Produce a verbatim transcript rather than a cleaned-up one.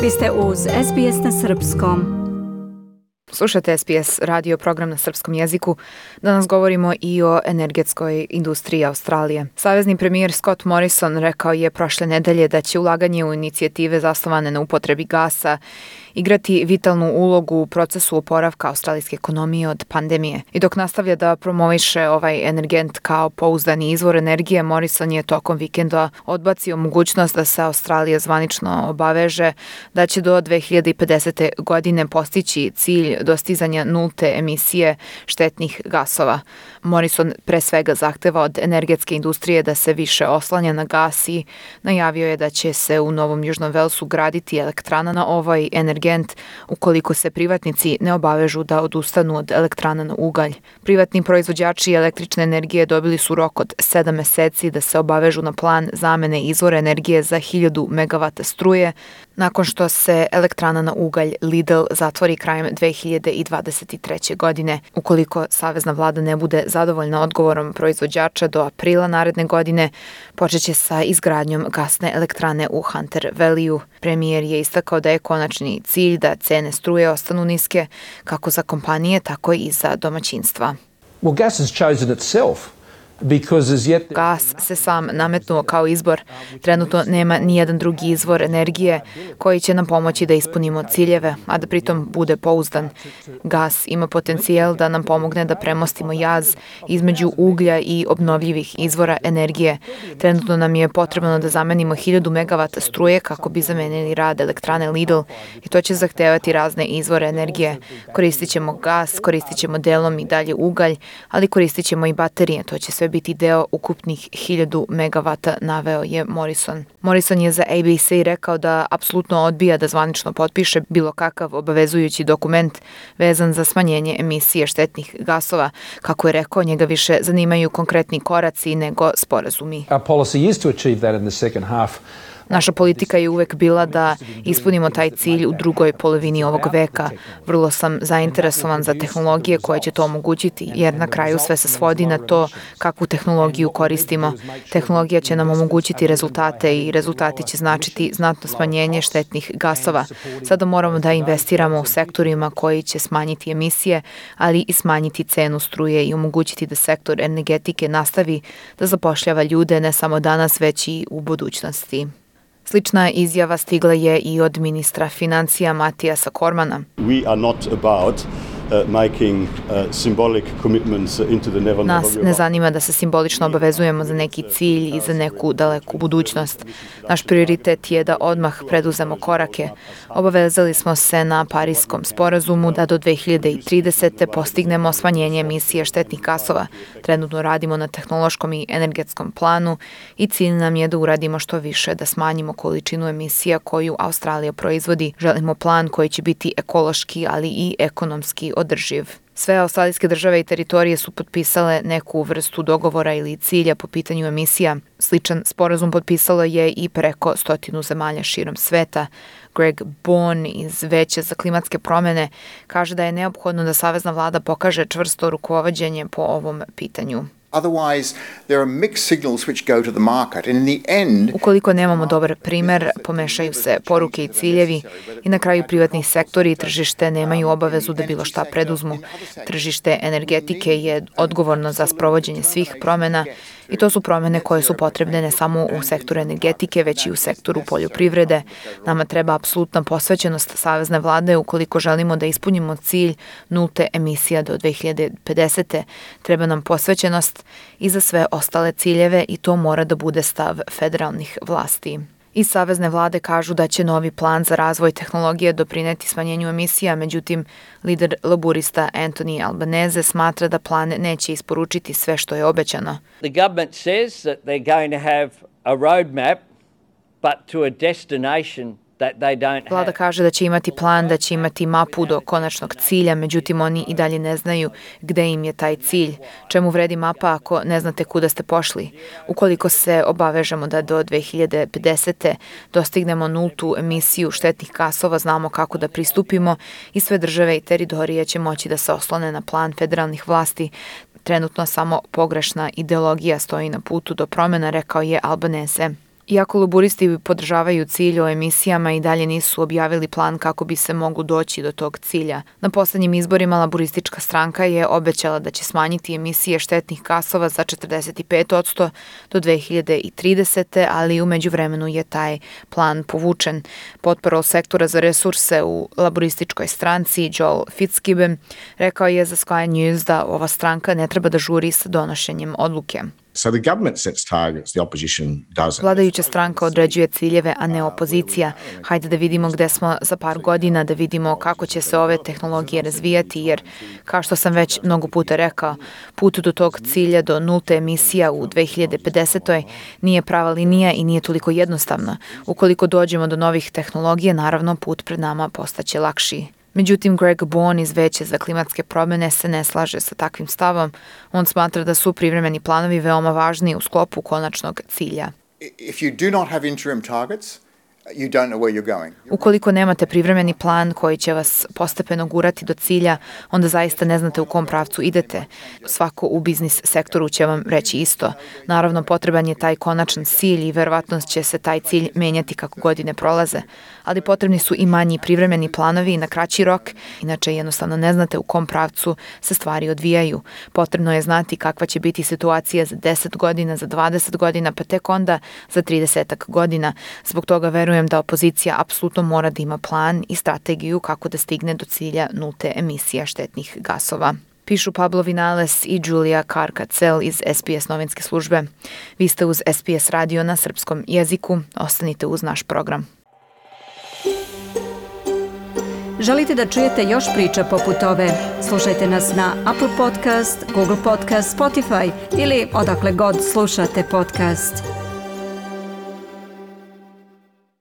Vi ste uz S B S na srpskom. Slušate S B S radio program na srpskom jeziku. Danas govorimo i o energetskoj industriji Australije. Savezni premijer Scott Morrison rekao je prošle nedelje da će ulaganje u inicijative zasnovane na upotrebi gasa igrati vitalnu ulogu u procesu oporavka australijske ekonomije od pandemije. I dok nastavlja da promoviše ovaj energent kao pouzdani izvor energije, Morrison je tokom vikenda odbacio mogućnost da se Australija zvanično obaveže da će do dve hiljade pedesete. godine postići cilj dostizanja nulte emisije štetnih gasova. Morrison pre svega zahteva od energetske industrije da se više oslanja na gas i najavio je da će se u Novom Južnom Velsu graditi elektrana na ovaj energent ukoliko se privatnici ne obavežu da odustanu od elektrana na ugalj. Privatni proizvođači električne energije dobili su rok od sedam meseci da se obavežu na plan zamene izvora energije za hiljadu megavata struje, nakon što se elektrana na ugalj Lidl zatvori krajem dve hiljade dvadeset treće. godine. Ukoliko savezna vlada ne bude zadovoljna odgovorom proizvođača do aprila naredne godine, počeće sa izgradnjom gasne elektrane u Hunter Valleyu. Premijer je istakao da je konačni cilj da cene struje ostanu niske, kako za kompanije, tako i za domaćinstva. Well, gas has chosen itself. Gas se sam nametnuo kao izbor. Trenutno nema ni jedan drugi izvor energije koji će nam pomoći da ispunimo ciljeve, a da pritom bude pouzdan. Gas ima potencijal da nam pomogne da premostimo jaz između uglja i obnovljivih izvora energije. Trenutno nam je potrebno da zamenimo hiljadu megavata struje kako bi zamenili rad elektrane Lidl i to će zahtevati razne izvore energije. Koristit ćemo gas, koristit ćemo delom i dalje ugalj, ali koristit ćemo i baterije. To će sve biti deo ukupnih hiljadu megavata, naveo je Morrison. Morrison je za A B C rekao da apsolutno odbija da zvanično potpiše bilo kakav obavezujući dokument vezan za smanjenje emisije štetnih gasova. Kako je rekao, njega više zanimaju konkretni koraci nego sporazumi. Our policy is to achieve that in the second half. Naša politika je uvek bila da ispunimo taj cilj u drugoj polovini ovog veka. Vrlo sam zainteresovan za tehnologije koje će to omogućiti, jer na kraju sve se svodi na to kakvu tehnologiju koristimo. Tehnologija će nam omogućiti rezultate i rezultati će značiti znatno smanjenje štetnih gasova. Sada moramo da investiramo u sektorima koji će smanjiti emisije, ali i smanjiti cenu struje i omogućiti da sektor energetike nastavi da zapošljava ljude ne samo danas, već i u budućnosti. Slična izjava stigla je i od ministra financija Matijasa Cormanna. We are not about uh, making uh, symbolic commitments into the never Nas ne zanima da se simbolično obavezujemo za neki cilj i za neku daleku budućnost. Naš prioritet je da odmah preduzemo korake. Obavezali smo se na Pariskom sporazumu da do dve hiljade tridesete. postignemo smanjenje emisije štetnih gasova. Trenutno radimo na tehnološkom i energetskom planu i cilj nam je da uradimo što više da smanjimo količinu emisija koju Australija proizvodi. Želimo plan koji će biti ekološki, ali i ekonomski održiv. Sve australijske države i teritorije su potpisale neku vrstu dogovora ili cilja po pitanju emisija. Sličan sporazum potpisalo je i preko stotinu zemalja širom sveta. Greg Bourne iz Veća za klimatske promene kaže da je neophodno da savezna vlada pokaže čvrsto rukovođenje po ovom pitanju. Otherwise, there are mixed signals which go to the market, and in the end, ukoliko nemamo dobar primer, pomešaju se poruke i ciljevi i na kraju privatni sektori i tržište nemaju obavezu da bilo šta preduzmu. Tržište energetike je odgovorno za sprovođenje svih promena i to su promene koje su potrebne ne samo u sektoru energetike, već i u sektoru poljoprivrede. Nama treba apsolutna posvećenost savezne vlade ukoliko želimo da ispunimo cilj nulte emisija do dve hiljade pedesete. Treba nam posvećenost i za sve ostale ciljeve i to mora da bude stav federalnih vlasti. I savezne vlade kažu da će novi plan za razvoj tehnologije doprineti smanjenju emisija, međutim, lider laburista Anthony Albanese smatra da plan neće isporučiti sve što je obećano. The government says that they're going to have a roadmap, but to a destination that they don't have. Vlada kaže da će imati plan, da će imati mapu do konačnog cilja, međutim oni i dalje ne znaju gde im je taj cilj. Čemu vredi mapa ako ne znate kuda ste pošli? Ukoliko se obavežemo da do dve hiljade pedesete. dostignemo nultu emisiju štetnih gasova, znamo kako da pristupimo i sve države i teritorije će moći da se oslone na plan federalnih vlasti. Trenutno samo pogrešna ideologija stoji na putu do promjena, rekao je Albanese. Iako laburisti podržavaju cilj o emisijama i dalje nisu objavili plan kako bi se moglo doći do tog cilja. Na poslednjim izborima laburistička stranka je obećala da će smanjiti emisije štetnih gasova za četrdeset pet posto do dve hiljade tridesete. ali u međuvremenu je taj plan povučen. Potporol sektora za resurse u laburističkoj stranci Joel Fitzgibbon rekao je za Sky News da ova stranka ne treba da žuri sa donošenjem odluke. So the government sets targets, the opposition doesn't. Vladajuća stranka određuje ciljeve, a ne opozicija. Hajde da vidimo gde smo za par godina, da vidimo kako će se ove tehnologije razvijati, jer, kao što sam već mnogo puta rekao, put do tog cilja do nulte emisija u dve hiljade pedesete. nije prava linija i nije toliko jednostavna. Ukoliko dođemo do novih tehnologija, naravno put pred nama postaće lakši. Međutim, Greg Bourne iz Veća za klimatske promjene se ne slaže sa takvim stavom. On smatra da su privremeni planovi veoma važni u sklopu konačnog cilja. If you do not have interim targets, you don't know where you're going. Ukoliko nemate privremeni plan koji će vas postepeno gurati do cilja, onda zaista ne znate u kom pravcu idete. Svako u biznis sektoru će vam reći isto. Naravno, potreban je taj konačan cilj i verovatno će se taj cilj menjati kako godine prolaze. Ali potrebni su i manji privremeni planovi na kraći rok, inače jednostavno ne znate u kom pravcu se stvari odvijaju. Potrebno je znati kakva će biti situacija za deset godina, za dvadeset godina, pa tek onda za trideset godina. Zbog toga verujem da opozicija apsolutno mora da ima plan i strategiju kako da stigne do cilja nulte emisija štetnih gasova. Pišu Pablo Vinales i Julia Karkacel iz S B S novinske službe. Vi ste uz S B S radio na srpskom jeziku. Ostanite uz naš program. Želite da čujete još priča poput ove? Slušajte nas na Apple Podcast, Google Podcast, Spotify ili odakle god slušate podcast.